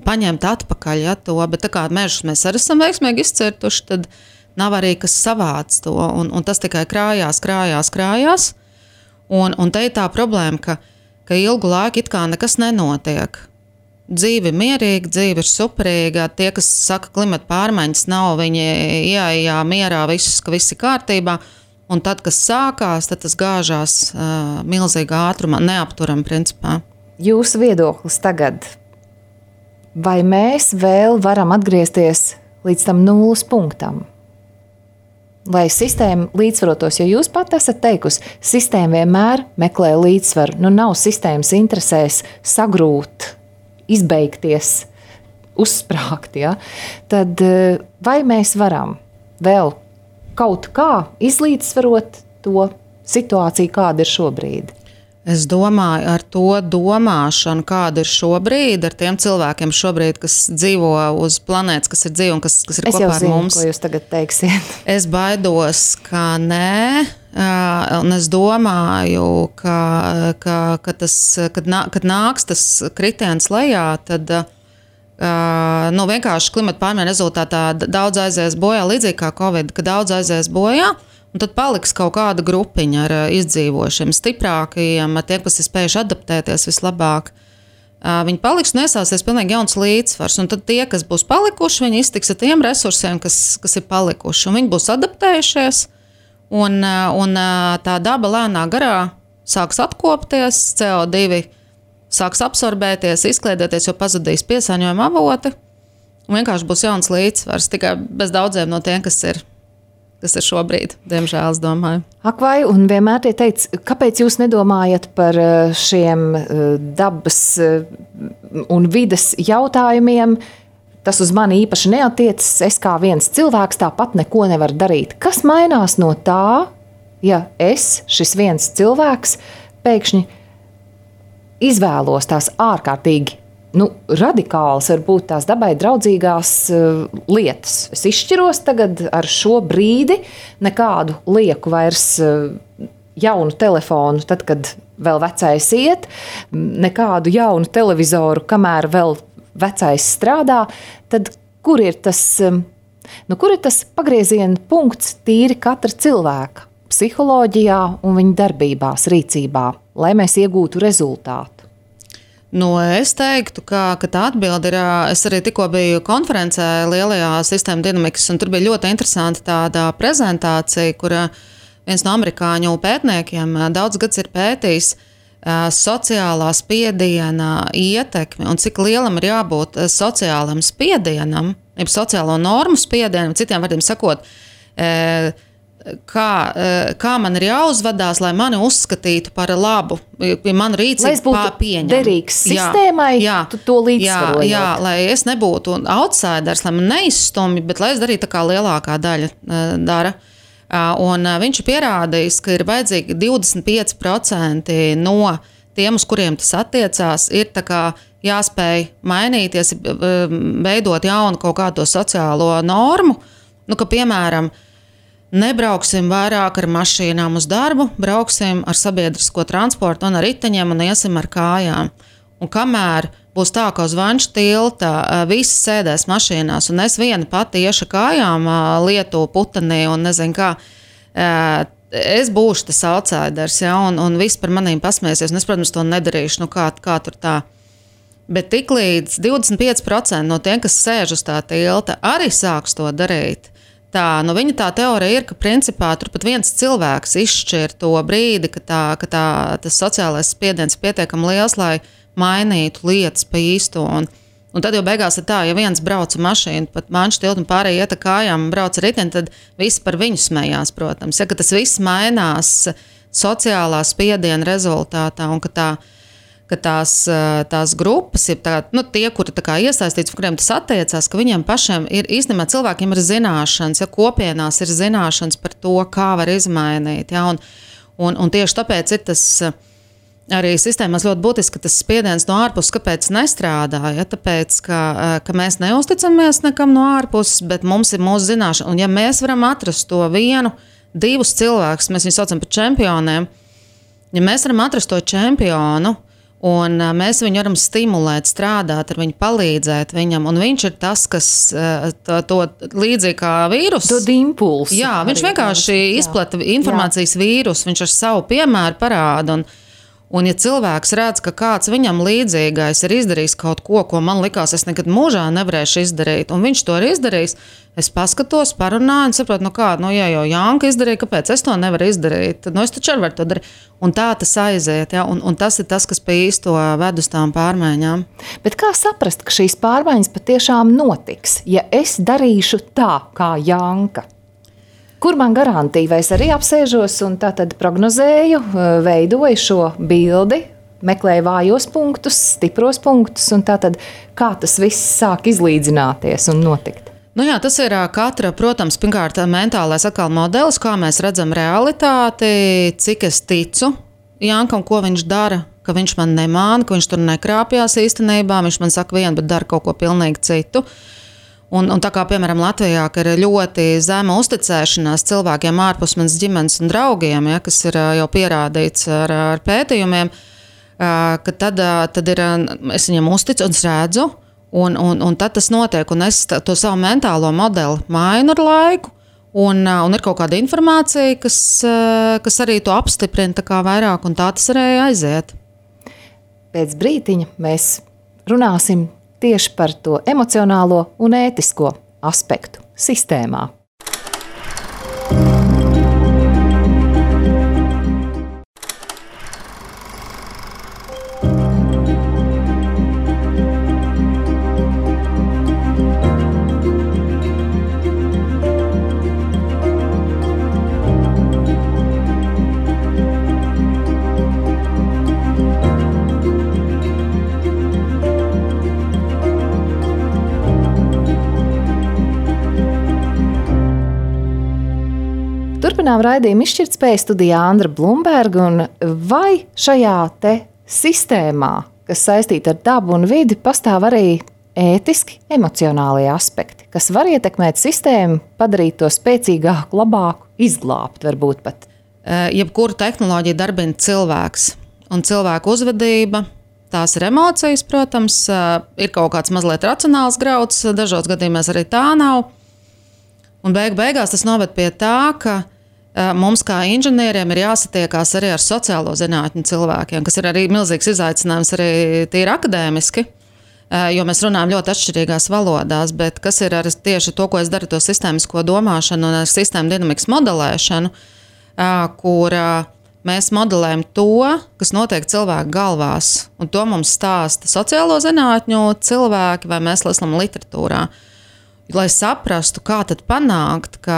paņemt atpakaļ to, bet tā kā mežus mēs arī esam veiksmīgi izcirtuši, tad nav arī kas savāc to, un tas tikai krājās. Un te ir tā problēma, ka ka ilgu laiku it kā nekas nenotiek. Dzīve ir mierīga, dzīve ir superīga. Tie, kas saka, klimata pārmaiņas nav, viņi ieejā mierā visus, ka viss ir kārtībā. Un tad, kas sākās, tad tas gāžās milzīgā ātrumā, neapturam principā. Jūsu viedoklis tagad, vai mēs vēl varam atgriezties līdz tam nulles punktam? Lai sistēma līdzsvarotos, jo jūs pat esat teikusi, sistēma vienmēr meklē līdzsvaru. Nu, nav sistēmas interesēs sagrūt, izbeigties, uzsprāgt. Ja? Tad vai mēs varam vēl kaut kā izlīdzsvarot to situāciju, kāda ir šobrīd? Es domāju, ar to domāšanu, kāda ir šobrīd, ar tiem cilvēkiem šobrīd, kas dzīvo uz planētas, kas ir dzīvi un kas ir kopā ar mums. Ko jūs tagad teiksiet. Es baidos, ka nē, un es domāju, ka tas, kad nāks tas kritiens lejā, tad vienkārši klimata pārmaiņu rezultātā daudz aizies bojā, līdzīgi kā Covid, ka daudz aizies bojā. Un tad paliks kaut kāda grupiņa ar izdzīvošiem, stiprākajiem, ar tiem, kas ir spējuši adaptēties vislabāk. Viņi paliks un iesāsies pilnīgi jauns līdzsvars. Un tad tie, kas būs palikuši, viņi iztiks ar tiem resursiem, kas ir palikuši. Un viņi būs adaptējušies, un tā daba lēnā garā sāks atkopties, CO2 sāks absorbēties, izkliedēties, jo pazudīs piesārņojuma avoti. Un vienkārši būs jauns līdzsvars, tikai bez daudziem no tiem, kas ir šobrīd, diemžēl, es domāju. Ak vai, un vienmēr tie teica, kāpēc jūs nedomājat par šiem dabas un vides jautājumiem? Tas uz mani īpaši neatiecas, es kā viens cilvēks tāpat neko nevaru darīt. Kas mainās no tā, ja es, šis viens cilvēks, pēkšņi izvēlos tās ārkārtīgi radikāls, varbūt tās dabai draudzīgās lietas. Es izšķiros tagad ar šo brīdi, nekādu lieku vairs jaunu telefonu, tad, kad vēl vecais iet, nekādu jaunu televizoru, kamēr vēl vecais strādā, tad kur ir tas pagrieziena punkts tīri katra cilvēka psiholoģijā un viņa darbībās, rīcībā, lai mēs iegūtu rezultātu? Es teiktu, ka tā atbilde ir, es arī tikko biju konferencē lielajā sistēma dinamikas, un tur bija ļoti interesanta tāda prezentācija, kur viens no amerikāņu pētniekiem daudz gads ir pētījis sociālā spiediena ietekmi un cik lielam ir jābūt sociālam spiedienam, jeb sociālo normu spiedienam, citiem vārdiem sakot, kā man ir jāuzvedās, lai mani uzskatītu par labu, ja manu rīcību pieņem. Derīgs sistēmai, tu to līdzsvarojot. Jā, lai es nebūtu outsiders, lai man neizstumj, bet lai es darītu tā kā lielākā daļa dara. Un viņš ir pierādījis, ka ir vajadzīgi 25% no tiem, uz kuriem tas attiecās, ir tā kā jāspēj mainīties, veidot jaunu kaut kādu sociālo normu, ka, piemēram, nebrauksim vairāk ar mašīnām uz darbu, brauksim ar sabiedrisko transportu un ar riteņiem un iesim ar kājām. Un kamēr būs tā, ka uz Vanča tilta visi sēdēs mašīnās un es viena pati iešu kājām Lietuvu putenī un nezinu kā, es būšu tas outsiders, ja, un viss par manīm pasmēsies. Un es, protams, to nedarīšu, kā tur tā. Bet tiklīdz 25% no tiem, kas sēž uz tā tilta, arī sāks to darīt. Viņa tā teorija ir, ka principā tur pat viens cilvēks izšķir to brīdi, ka tas sociālais spiediens ir pietiekami liels, lai mainītu lietas pa īsto. Un tad jau beigās ir tā, ja viens brauc ar mašīnu, pat Vanča tiltu un pārējie iet ar kājām un brauc ar riteni, tad visi par viņu smējās, protams. Ja, ka tas viss mainās sociālā spiediena rezultātā un ka tās grupas, tie, kuri iesaistīts, kuriem tas attiecās, ka viņiem pašiem ir īstenībā cilvēkiem ir zināšanas, ja kopienās ir zināšanas par to, kā var izmainīt. Ja, un tieši tāpēc ir tas arī sistēmās ļoti būtiski, ka tas spiediens no ārpuses kāpēc nestrādā. Ja, tāpēc, ka mēs neusticamies nekam no ārpuses, bet mums ir mūsu zināšana. Un ja mēs varam atrast to vienu, divus cilvēkus, mēs viņus saucam par čempioniem, ja mēs varam atrast to čempionu, un mēs viņu varam stimulēt, strādāt ar viņu, palīdzēt viņam, un viņš ir tas, kas to līdzīgi kā vīrusu. Dod impulsu. Jā, viņš vienkārši izplata informācijas vīrusu, viņš ar savu piemēru parāda, Un, ja cilvēks redz, ka kāds viņam līdzīgais ir izdarījis kaut ko, ko man likās, es nekad mūžā nevarēšu izdarīt, un viņš to ir izdarījis, es paskatos, parunāju un saprotu, ja jau Janka izdarīja, kāpēc es to nevaru izdarīt? Tad, es taču arī varu to darīt. Un tā tas aiziet, ja? Un tas ir tas, kas pie īsto ved uz tām pārmaiņām. Bet kā saprast, ka šīs pārmaiņas patiešām notiks, ja es darīšu tā, kā Janka? Kur man garantija, vai es arī apsēžos un tā tad prognozēju, veidoju šo bildi, meklēju vājos punktus, stipros punktus, un tā tad kā tas viss sāk izlīdzināties un notikt? Tas ir katra, protams, pirmkārt mentālais atkal modelis, kā mēs redzam realitāti, cik es ticu Jankam, ko viņš dara, ka viņš man nemāna, ka viņš tur nekrāpjās īstenībā, viņš man saka vienu, bet dara kaut ko pilnīgi citu. Un tā kā, piemēram, Latvijā, ka ir ļoti zema uzticēšanās cilvēkiem ārpus manas ģimenes un draugiem, ja, kas ir jau pierādīts ar pētījumiem, ka tad ir, es viņam uzticu un es redzu, un tad tas notiek, un es to savu mentālo modeli mainu ar laiku, un ir kaut kāda informācija, kas arī to apstiprina tā kā vairāk, un tā tas arī aiziet. Pēc brītiņa mēs runāsim tieši par to emocionālo un ētisko aspektu sistēmā. Turpinām raidījumu Izšķirtspēja studijā Andra Blumberga, un vai šajā te sistēmā, kas saistīta ar dabu un vidi, pastāv arī ētiski, emocionālie aspekti, kas var ietekmēt sistēmu, padarīt to spēcīgāku, labāku, izglābt varbūt pat? Jebkuru tehnoloģiju darbina cilvēks un cilvēku uzvedība. Tās ir emocijas, protams, ir kaut kāds mazliet racionāls grauds, dažos gadījumos arī tā nav. Un beigās tas noved pie tā, ka mums kā inženieriem ir jāsatiekās arī ar sociālo zinātņu cilvēkiem, kas ir arī milzīgs izaicinājums arī tīri akadēmiski, jo mēs runājam ļoti atšķirīgās valodās, bet kas ir arī tieši to, ko es daru, to sistēmisko domāšanu un sistēmu dinamikas modelēšanu, kur mēs modelējam to, kas notiek cilvēku galvās, un to mums stāsta sociālo zinātņu cilvēki vai mēs lasām literatūrā. Lai saprastu, kā tad panākt, ka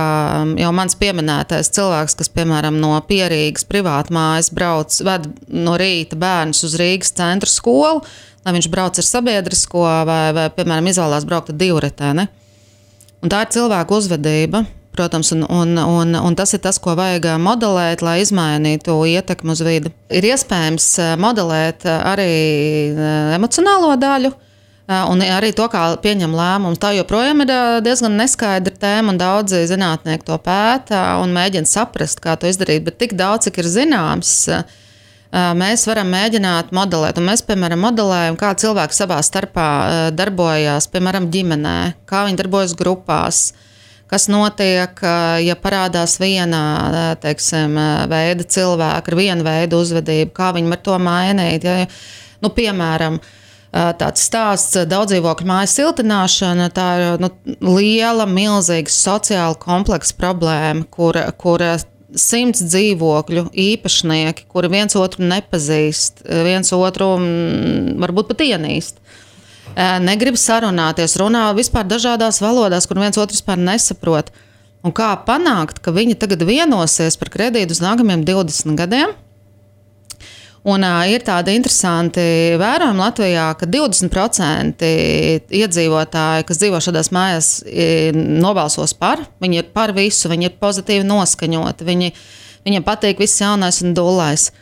jau mans pieminētais cilvēks, kas, piemēram, no Pierīgas privātmājas ved no rīta bērnus uz Rīgas centra skolu, lai viņš brauc ar sabiedrisko vai piemēram, izvēlās braukt ar divritēni. Un tā ir cilvēku uzvedība, protams, un tas ir tas, ko vajag modelēt, lai izmainītu ietekmi uz vidi. Ir iespējams modelēt arī emocionālo daļu, un arī to, kā pieņem lēmumus. Tā joprojām ir diezgan neskaidra tēma, un daudzi zinātnieki to pēta un mēģina saprast, kā to izdarīt. Bet tik daudz, cik ir zināms, mēs varam mēģināt modelēt. Un mēs, piemēram, modelējam, kā cilvēki savā starpā darbojās, piemēram, ģimenē, kā viņi darbojas grupās, kas notiek, ja parādās viena, teiksim, veida cilvēka ar vienu veidu uzvedību, kā viņi var to mainīt. Ja, piemēram, tāds stāsts daudzdzīvokļu mājas siltināšana, tā ir liela, milzīga sociāla kompleksa problēma, kur 100 dzīvokļu īpašnieki, kuri viens otru nepazīst, viens otru varbūt pat ienīst, negrib sarunāties, runā vispār dažādās valodās, kur viens otru vispār nesaprot. Un kā panākt, ka viņi tagad vienosies par kredītu uz nākamajiem 20 gadiem? Un ir tādi interesanti vērojumi Latvijā, ka 20% iedzīvotāji, kas dzīvo šādās mājās, nobalsos par. Viņi ir par visu, viņi ir pozitīvi noskaņoti, viņiem patīk viss jaunais un dullais.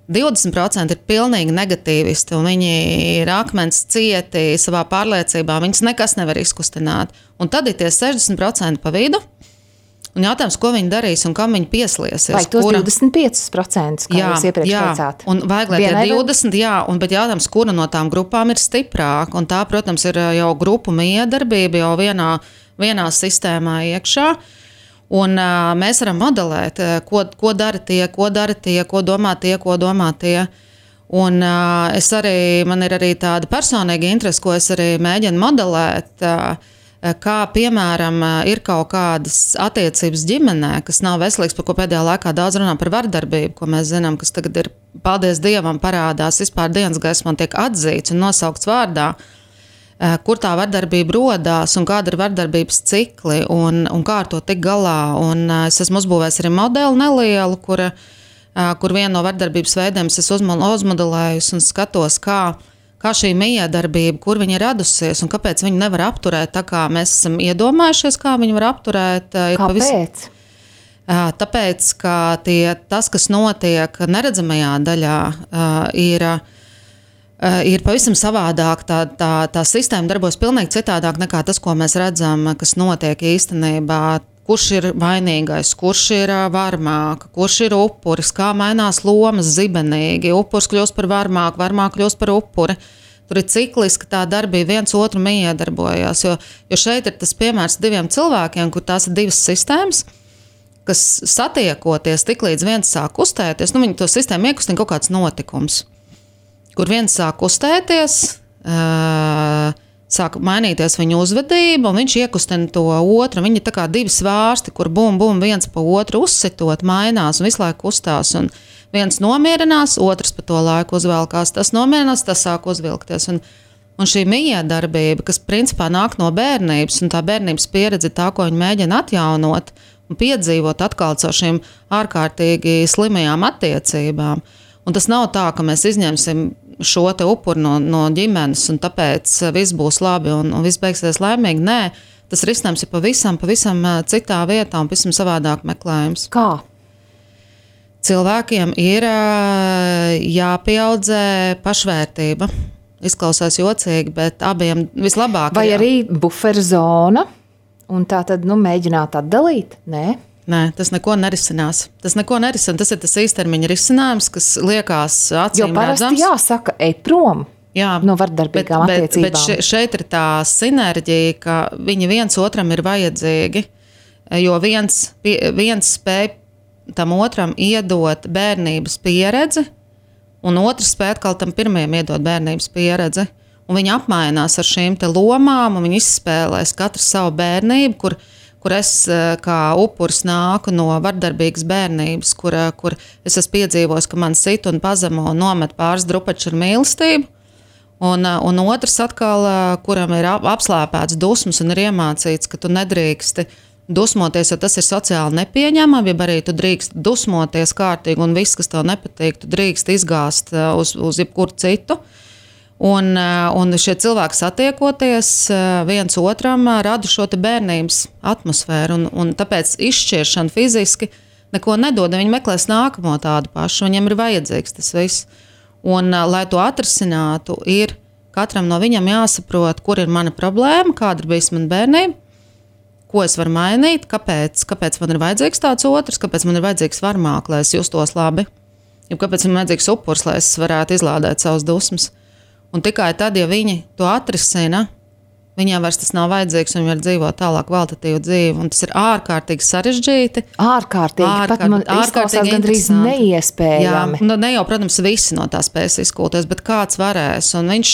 20% ir pilnīgi negatīvisti, un viņi ir akmens cieti savā pārliecībā, viņus nekas nevar izkustināt. Un tad ir tie 60% pa vidu. Un jautājums, ko viņi darīs un kam viņi pieslēsies? Vai tos 25%, kā jūs iepriekš teicāt? Un vajag, lai tie 20, bet jautājums, kura no tām grupām ir stiprāka. Un tā, protams, ir jau grupu miedarbība jau vienā sistēmā iekšā. Un mēs varam modelēt, ko dara tie, ko domā tie. Un man ir arī tāda personīga interese, ko es arī mēģinu modelēt, kā, piemēram, ir kaut kādas attiecības ģimenē, kas nav veselīgs, par ko pēdējā laikā daudz runā par vardarbību, ko mēs zinām, kas tagad ir, paldies Dievam, parādās vispār dienas gaismā, tiek atzīts un nosaukts vārdā, kur tā vardarbība rodās un kāda ir vardarbības cikli un kā ar to tik galā. Un es esmu uzbūvējis arī modeli nelielu, kur vienu no vardarbības veidiem es uzmodelējusi un skatos, kā šī miedarbība, kur viņa ir radusies un kāpēc viņu nevar apturēt tā, kā mēs esam iedomājušies, kā viņu var apturēt. Kāpēc? Tāpēc, ka tas, kas notiek neredzamajā daļā, ir pavisam savādāk. Tā sistēma darbojas pilnīgi citādāk nekā tas, ko mēs redzam, kas notiek īstenībā. Kurš ir vainīgais, kurš ir varmāka, kurš ir upuris, kā mainās lomas zibenīgi. Upuris kļūst par varmāku, varmāka kļūst par upuri. Tur ir cikliski tā darbība, viens otru miedarbojās. Jo šeit ir tas piemērs diviem cilvēkiem, kur tās ir divas sistēmas, kas satiekoties tik līdz viens sāk kustēties, viņi to sistēmu iekustina kaut kāds notikums, kur viens sāk kustēties, sāk mainīties viņa uzvedība, un viņš iekustina to otru. Viņi ir tā kā divi svārsti, kur bum, viens pa otru uzsitot, mainās un visu laiku kustās. Un viens nomierinās, otrs pa to laiku uzvelkās, tas nomierinās, tas sāk uzvilkties. Un šī miedarbība, kas principā nāk no bērnības, un tā bērnības pieredze ir tā, ko viņi mēģina atjaunot un piedzīvot atkal caur šīm ārkārtīgi slimajām attiecībām. Un tas nav tā, ka mēs izņemsim šo te upuri no ģimenes un tāpēc viss būs labi un viss beigsies laimīgi. Nē, tas risinājums ir pavisam citā vietā un pavisam savādāk meklējums. Kā? Cilvēkiem ir jāpieaudzē pašvērtība. Izklausās jocīgi, bet abiem vislabāk. Vai arī buferzona? Un tā tad mēģināt atdalīt? Nē, tas neko nerisinās. Tas ir tas īstermiņa risinājums, kas liekas acīm redzams. Jo parasti jāsaka, ej prom no vardarbīgām attiecībām. Bet šeit ir tā sinerģija, ka viņi viens otram ir vajadzīgi, jo viens spēj tam otram iedot bērnības pieredzi, un otrs spēj atkal tam pirmajam iedot bērnības pieredzi. Un viņi apmainās ar šīm te lomām, un viņi izspēlēs katru savu bērnību, kur es kā upuris nāku no vardarbīgas bērnības, kur es esmu piedzīvojis, ka man sit un pazemo un nomet pāris drupaču ar mīlestību. Un otrs atkal, kuram ir apslēpēts dusmas un ir iemācīts, ka tu nedrīksti dusmoties, jo tas ir sociāli nepieņemami, ja arī tu drīkst dusmoties kārtīgi un viss, kas tev nepatīk, tu drīkst izgāzt uz jebkuru citu. Un šie cilvēki satiekoties viens otram rada šo te bērnības atmosfēru, un tāpēc izšķiršana fiziski neko nedod. Viņi meklēs nākamo tādu pašu, viņiem ir vajadzīgs tas viss. Un, lai to atrisinātu, ir katram no viņam jāsaprot, kur ir mana problēma, kāda ir bijis mana bērnība, ko es varu mainīt, kāpēc man ir vajadzīgs tāds otrs, kāpēc man ir vajadzīgs varmāk, lai es justos labi, jo kāpēc man ir vajadzīgs upurs, lai es varētu izlādēt savas dusmas. Un tikai tad, ja viņi to atrisina, viņiem vairs tas nav vajadzīgs, un viņi var dzīvot tālāk kvalitatīvu dzīvi. Un tas ir ārkārtīgi sarežģīti. Pat man izklausās gandrīz neiespējami. Jā, ne jau, protams, visi no tā spēs izkūties, bet kāds varēs, un viņš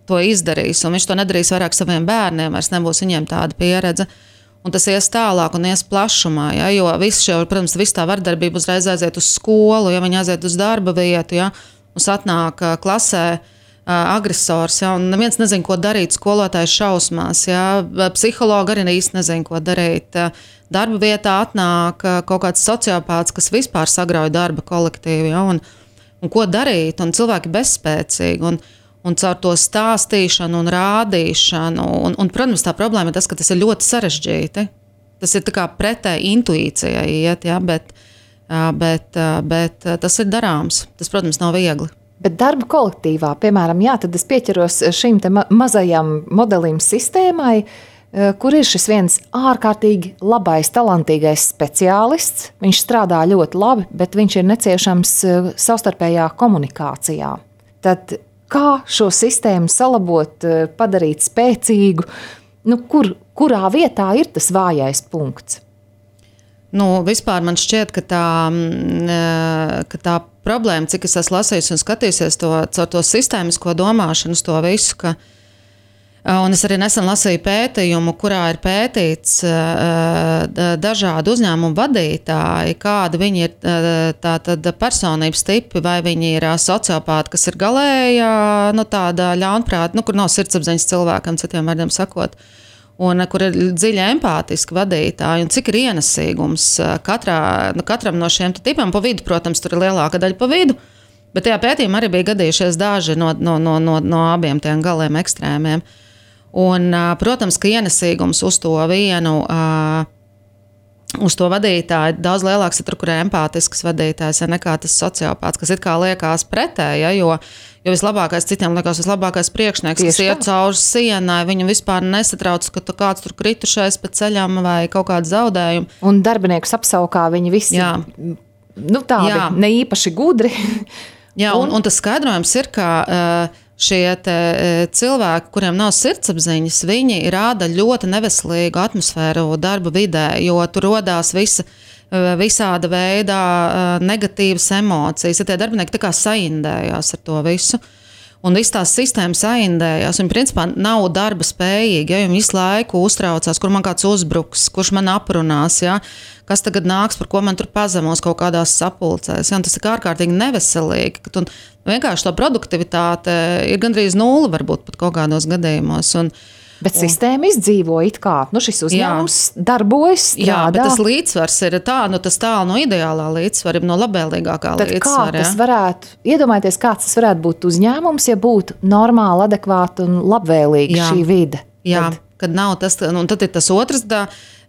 to izdarīs, un viņš to nedarīs vairāk saviem bērniem, vairs nebūs viņiem tāda pieredze. Un tas ies tālāk un ies plašumā, ja, jo protams, viss tā vardarbība uzreiz aiziet uz skolu, ja viņi aiziet uz darba vietu, ja, un atnāk klasē agresors, ja, un neviens nezin, ko darīt, skolotājs šausmās, ja, psihologi arī īsti nezin, ko darīt. Darba vietā atnāk kaut kāds sociopāts, kas vispār sagrauj darba kolektīvu, ja, un ko darīt, un cilvēki bezspēcīgi, un caur to stāstīšanu un rādīšanu, un protams, tā problēma ir tas, ka tas ir ļoti sarežģīti. Tas ir tā kā pretēji intuīcijai iet, ja, bet tas ir darāms. Tas, protams, nav viegli. Bet darba kolektīvā, piemēram, tad es pieķeros šim te mazajam modelim sistēmai, kur ir šis viens ārkārtīgi labais, talantīgais speciālists. Viņš strādā ļoti labi, bet viņš ir neciešams savstarpējā komunikācijā. Tad kā šo sistēmu salabot, padarīt spēcīgu? Kurā vietā ir tas vājais punkts? Vispār man šķiet, ka tā problēma, cik es esmu lasījis un skatījusies caur to sistēmisko domāšanu, to visu, ka un es arī nesen lasīju pētījumu, kurā ir pētīts dažādu uzņēmumu vadītāji, kāda viņi ir tātad personības tipi, vai viņi ir sociopāti, kas ir galējā, tāda ļaunprāta, kur nav sirdsapziņas cilvēkam, citiem vārdiem sakot, un kur ir dziļi empātiski vadītāji, un cik ir ienesīgums katram no šiem tipiem. Pa vidu, protams, tur ir lielāka daļa pa vidu, bet tajā pētījumā arī bija gadījušies daži no abiem tiem galiem ekstrēmiem. Un, protams, ka ienesīgums uz to vienu, uz to vadītāju daudz lielāks ir tur, kur ir empātisks vadītājs, nekā tas sociopāts, kas it kā liekas pretēji, jo vislabākais citiem liekas vislabākais priekšnieks, kas iet cauri sienai, viņu vispār nesatrauc, ka kāds tur kritušais pa ceļam vai kaut kādu zaudējumu. Un darbiniekus apsaukā viņi visi, tādi ne īpaši gudri. Jā, un tas skaidrojums ir, ka šie cilvēki, kuriem nav sirdsapziņas, viņi rāda ļoti neveselīgu atmosfēru darba vidē, jo tur rodās visāda veida negatīvas emocijas. Ja tie darbinieki tā kā saindējās ar to visu. Un viss tās sistēmas saindējās. Viņi principā nav darba spējīgi, ja viņi visu laiku uztraucās, kur man kāds uzbruks, kurš man aprunās, ja? Kas tagad nāks, par ko man tur pazemos kaut kādās sapulcēs. Ja? Un tas ir ārkārtīgi neveselīgi. Vienkārši to produktivitāte ir gandrīz nulle, varbūt pat kaut kādos gadījumos. Bet sistēma izdzīvo it kā. Šis uzņēmums darbojas, strādā. Jā, bet tas līdzsvars ir tas tālu no ideālā līdzsvara, no labvēlīgākā līdzsvara. Kā tas varētu, iedomājieties, kāds tas varētu būt uzņēmums, ja būtu normāli, adekvāti un labvēlīgi šī vide? Jā, kad nav tas, un tad ir tas otrs,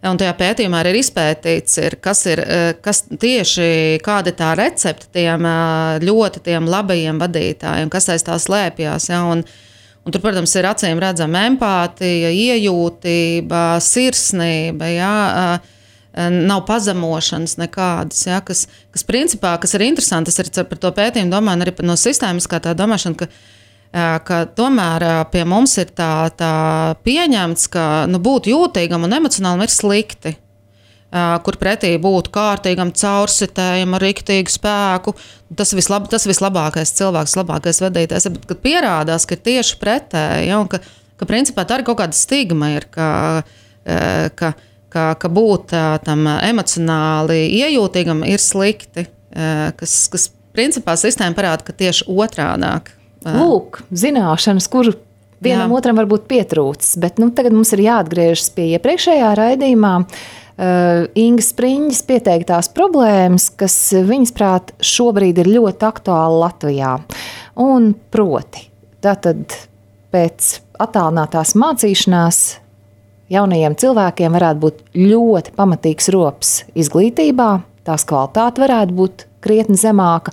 un tajā pētījumā ir izpētīts, kas tieši kāda ir tā recepte tiem labajiem vadītājiem, kas aiz tā slēpjās, ja, un tur, protams, ir acīm redzama empātija, iejūtība, sirsnība, ja, nav pazemošanas nekādas, ja, kas principā, kas ir interesanti, tas ir par to pētījumu domāju, arī no sistēmiskā tā domāšana, ka tomēr pie mums ir tā pieņemts, ka būt jūtīgam un emocionālam ir slikti. Kur pretī būtu kārtīgam caursitējam ar riktīgu spēku. Tas vislabākais cilvēks, labākais vadītājs. Bet, kad pierādās, ka ir tieši pretēji, ja, un ka principā tā arī kaut kāda stigma ir, ka būt tam emocionāli iejūtīgam ir slikti, kas principā sistēma parāda, ka tieši otrādāk. Lūk, zināšanas, kur vienam otram varbūt pietrūcis, bet tagad mums ir jāatgriežas pie iepriekšējā raidījumā. Ingas Spriņģes pieteiktās problēmas, kas viņas prāt šobrīd ir ļoti aktuāli Latvijā. Un proti, tātad pēc attālinātās mācīšanās jaunajiem cilvēkiem varētu būt ļoti pamatīgs rops izglītībā, tās kvalitāte varētu būt krietni zemāka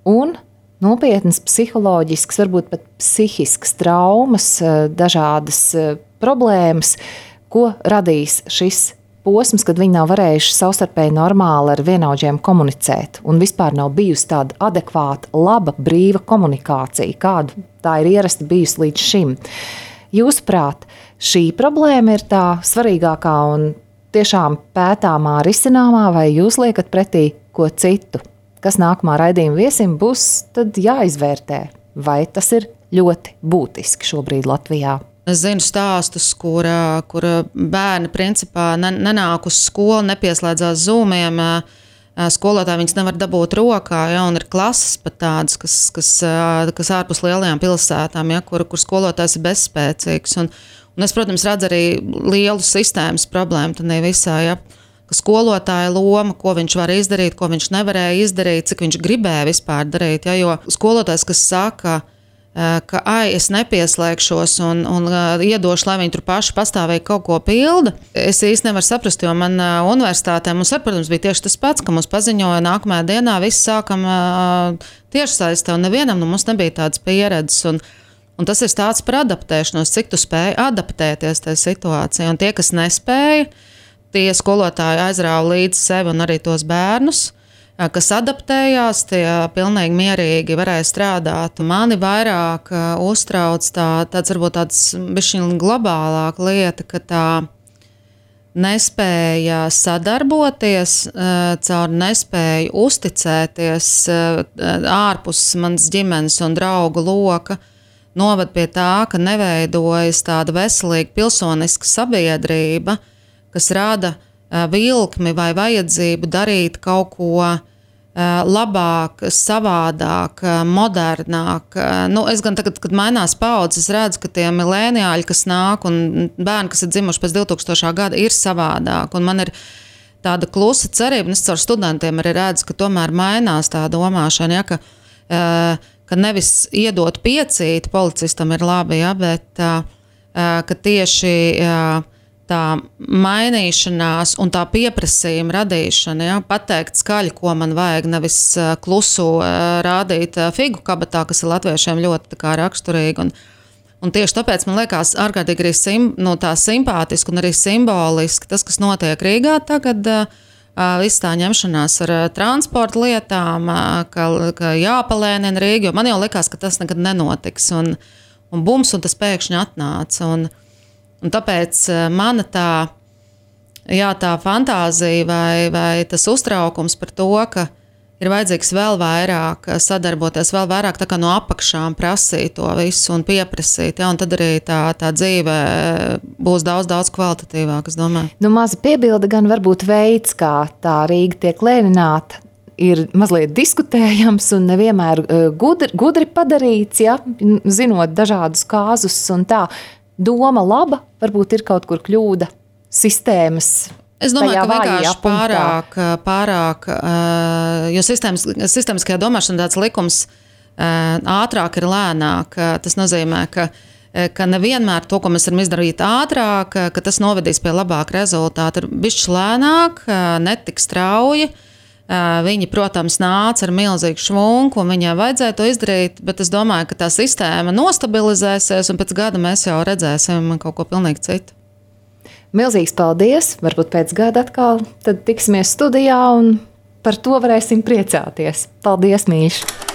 un nopietnas psiholoģiskas, varbūt pat psihiskas traumas, dažādas problēmas, ko radīs šis posms, kad viņi nav varējuši savstarpēji normāli ar vienaudžiem komunicēt un vispār nav bijusi tāda adekvāta, laba, brīva komunikācija, kāda tā ir ierasta bijusi līdz šim. Jūsuprāt, šī problēma ir tā svarīgākā un tiešām pētāmā, risināmā, vai jūs liekat pretī ko citu? Kas nākamā raidījuma viesim būs, tad jāizvērtē, vai tas ir ļoti būtiski šobrīd Latvijā. Es zinu stāstus, kur bērni principā nenāk uz skolu, nepieslēdzās Zoomiem, skolotāji viņus nevar dabūt rokā, ja, un ir klases pat tādas, kas ārpus lielajām pilsētām, ja, kur skolotājs ir bezspēcīgs. Un es, protams, redzu arī lielu sistēmas problēmu tad visā, ja, ka skolotāja loma, ko viņš var izdarīt, ko viņš nevarēja izdarīt, cik viņš gribēja vispār darīt, ja, jo skolotājs, kas saka, ka es nepieslēgšos un iedošu, lai viņi tur paši pastāvīgi kaut ko pilda. Es īsti nevaru saprast, jo man universitātē mums, protams, bija tieši tas pats, ka mums paziņoja nākamajā dienā, visi sākam tiešsaistē, un nevienam mums nebija tādas pieredzes. Un tas ir stāsts par adaptēšanos, cik tu spēji adaptēties tajā situācijā. Un tie, kas nespēja, tie skolotāji aizrāva līdz sevi un arī tos bērnus, kas adaptējās, tie pilnīgi mierīgi varēja strādāt. Mani vairāk uztrauc tāds varbūt tāds bišķiņ globālāka lieta, ka nespēja sadarboties, caur nespēju uzticēties ārpus manas ģimenes un draugu loka, novad pie tā, ka neveidojas tāda veselīga pilsoniska sabiedrība, kas rada vilkmi vai vajadzību darīt kaut ko labāk, savādāk, modernāk. Es gan tagad, kad mainās paudzes, redzu, ka tie milēniāļi, kas nāk un bērni, kas ir dzimuši pēc 2000. Gada, ir savādāk. Un man ir tāda klusa cerība, un es caur studentiem arī redzu, ka tomēr mainās tā domāšana, ka nevis iedot piecīt policistam ir labi, bet ka tieši tā mainīšanās un tā pieprasījuma radīšana, pateikt skaļi, ko man vajag, nevis klusu rādīt figu kabatā, kas ir latviešiem ļoti tā kā raksturīgi. Un tieši tāpēc man liekas ārkārtīgi arī tā simpātiski un arī simboliski tas, kas notiek Rīgā tagad, viss tā ņemšanās ar transporta lietām, ka jāpalēnina Rīga, jo man jau likās, ka tas nekad nenotiks. Un bums, un tas pēkšņi atnāca. Un tāpēc mana tā fantāzija vai tas uztraukums par to, ka ir vajadzīgs vēl vairāk sadarboties, vēl vairāk tā kā no apakšām prasīt to visu un pieprasīt, un tad arī tā dzīve būs daudz kvalitatīvāk, es domāju. Maza piebilde gan varbūt veids, kā tā Rīga tiek lēnināta, ir mazliet diskutējams un nevienmēr gudri padarīts, zinot dažādus kāzus un tā. Doma laba, varbūt ir kaut kur kļūda sistēmas. Es domāju, ka vienkārši pārāk, jo sistēmiskajā domāšana tāds likums ātrāk ir lēnāk. Tas nozīmē, ka nevienmēr to, ko mēs varam izdarīt ātrāk, ka tas novedīs pie labāka rezultāta. Ir bišķi lēnāk, netik strauji. Viņi, protams, nāca ar milzīgu švunku, un viņai vajadzēja to izdarīt, bet es domāju, ka tā sistēma nostabilizēsies, un pēc gada mēs jau redzēsim kaut ko pilnīgi citu. Milzīgs paldies! Varbūt pēc gada atkal tad tiksimies studijā, un par to varēsim priecāties. Paldies, Mīša!